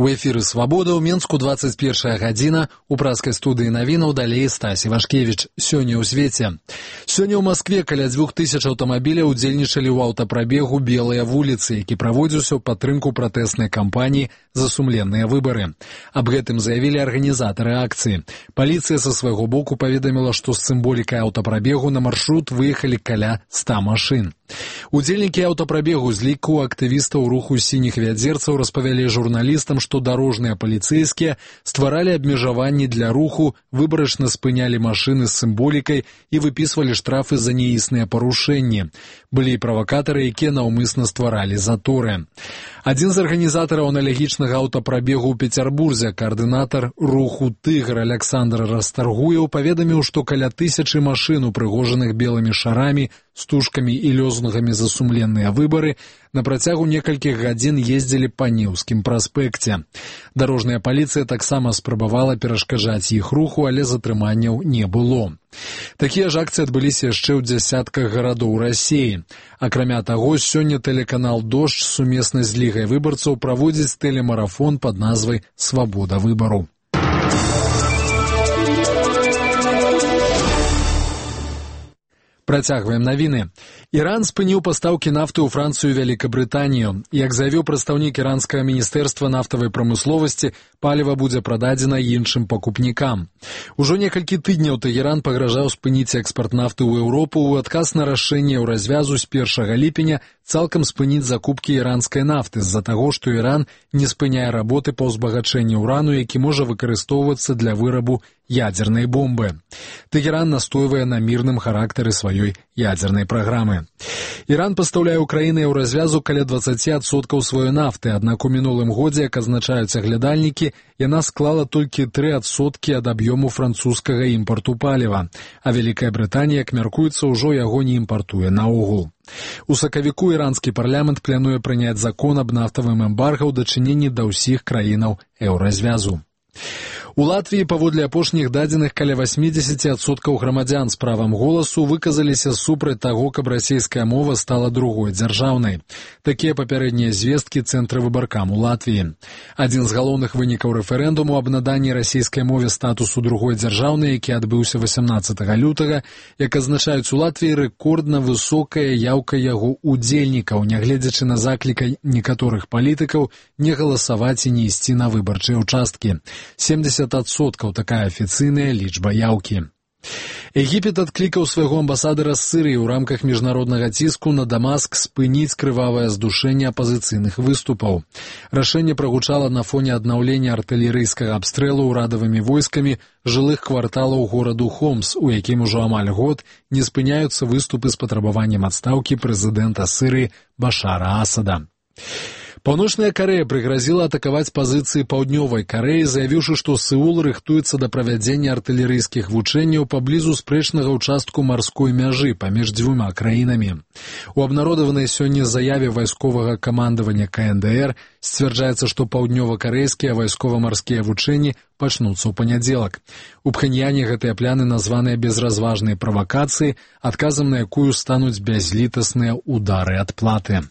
У эфіры «Свабода» ў Менску 21 гадзіна. У праскай студыі навінаў далей Стась Івашкевіч. Сёння ў свеце. Сёння ў Маскве каля 2000 аўтамабіляў удзельнічалі ў аўтапрабегу «Белыя вуліцы», які праводзіўся ў падтрымку пратэснай кампаніі за сумленныя выбары. Аб гэтым заявілі арганізатары акцыі. Паліцыя са свайго боку паведаміла, што з сімволікай аўтапрабегу на маршрут выехалі каля 100 машын. Удзельнікі аўтапрабегу з ліку актывістаў руху сініх вядзерцаў распавялі журналістам, што дарожныя паліцэйскія стваралі абмежаванні для руху, выбарачна спынялі машыны з сімволікай і выпісвалі штрафы за неісныя парушэнні. Былі і правакатары, якія наўмысна стваралі заторы. Адзін з арганізатараў аналагічнага аўтапрабегу ў Пецярбурзе, каардынатар руху «Тыгр» Александр Расторгуеў, паведаміў, што каля 1000 машын, упрыгожаных белымі шарамі, стужкамі і лозунгамі за сумленныя выбары, на працягу некалькіх гадзін ездзілі па Неўскім праспекце. Дарожная паліцыя таксама спрабавала перашкаджаць іх руху, але затрыманняў не было. Такія ж акцыі адбыліся яшчэ ў дзясятках гарадоў Расіі. Акрамя таго, сёння тэлеканал «Дождж» сумесна з Лігай выбарцаў праводзіць тэлемарафон пад назвай «Свабода выбару». Працягваем навіны. Іран спыніў пастаўкі нафты ў Францыю і Вялікабрытанію. Як заявіў прадстаўнік іранскага міністэрства нафтавай прамысловасці, паліва будзе прададзена іншым пакупнікам. Ужо некалькі тыдняў Тэгеран пагражаў спыніць экспарт нафты ў Еўропу ў адказ на рашэнне ў развязу з 1 ліпеня цалкам спыніць закупкі іранскай нафты з-за таго, што Іран не спыняе работы па ўзбагачэнні ўрану, які можа выкарыстоўвацца для вырабу ядзернай бомбы. Тэгеран настойвае на мірным характары сваёй ядзернай праграмы. Іран пастаўляе ў краіны еўразвязу каля 20% сваёй нафты, аднак у мінулым годзе, як азначаюць аглядальнікі, яна склала толькі 3% ад аб'ёму французскага імпарту паліва, а Вялікая Брытанія, як мяркуецца, ўжо яго не імпартуе наогул. У сакавіку іранскі парламент плануе прыняць закон аб нафтавым эмбарга ў дачыненні да ўсіх краінаў еўразвязу. У Латвіі, паводле апошніх дадзеных, каля 80% грамадзян з правам голасу выказаліся супраць таго, каб расійская мова стала другой дзяржаўнай. Такія папярэднія звесткі Цэнтра выбаркам у Латвіі. Адзін з галоўных вынікаў рэферэндуму аб наданні расійскай мове статусу другой дзяржаўнай, які адбыўся 18 лютага, як азначаюць у Латвіі, рэкордна высокая яўка яго удзельнікаў, нягледзячы на заклік некаторых палітыкаў не галасаваць і не ісці на выбарчыя ўчасткі. 70% такая афіцыйная лічба яўкі. Егіпет адклікаў свайго амбасадара з Сірыі ў рамках міжнароднага ціску на Дамаск спыніць крывавае здушэнне апазіцыйных выступаў. Рашэнне прагучала на фоне аднаўлення артылерыйскага абстрэлу ўрадавымі войскамі жылых кварталаў гораду Хомс, у якім ужо амаль год не спыняюцца выступы з патрабаваннем адстаўкі прэзідэнта Сірыі Башара Асада. Паўночная Карэя прыгразіла атакаваць пазіцыі Паўднёвай Карэі, заявіўшы, што Сеул рыхтуецца да правядзення артылерыйскіх вучэнняў паблізу спрэчнага ўчастку марской мяжы паміж дзвюма краінамі. У абнародаванай сёння заяве вайсковага камандавання КНДР сцвярджаецца, што паўднёва-карэйскія вайскова-марскія вучэнні пачнуцца ў панядзелак. У Пхеньяне гэтыя пляны названыя безразважнай правакацыяй, адказам на якую стануць бязлітасныя удары адплаты.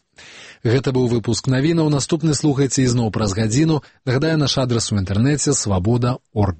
Гэта быў выпуск навінаў. Наступны слухайце ізноў праз гадзіну. Нагадаю, наш адрас у інтэрнэце свабода.орг.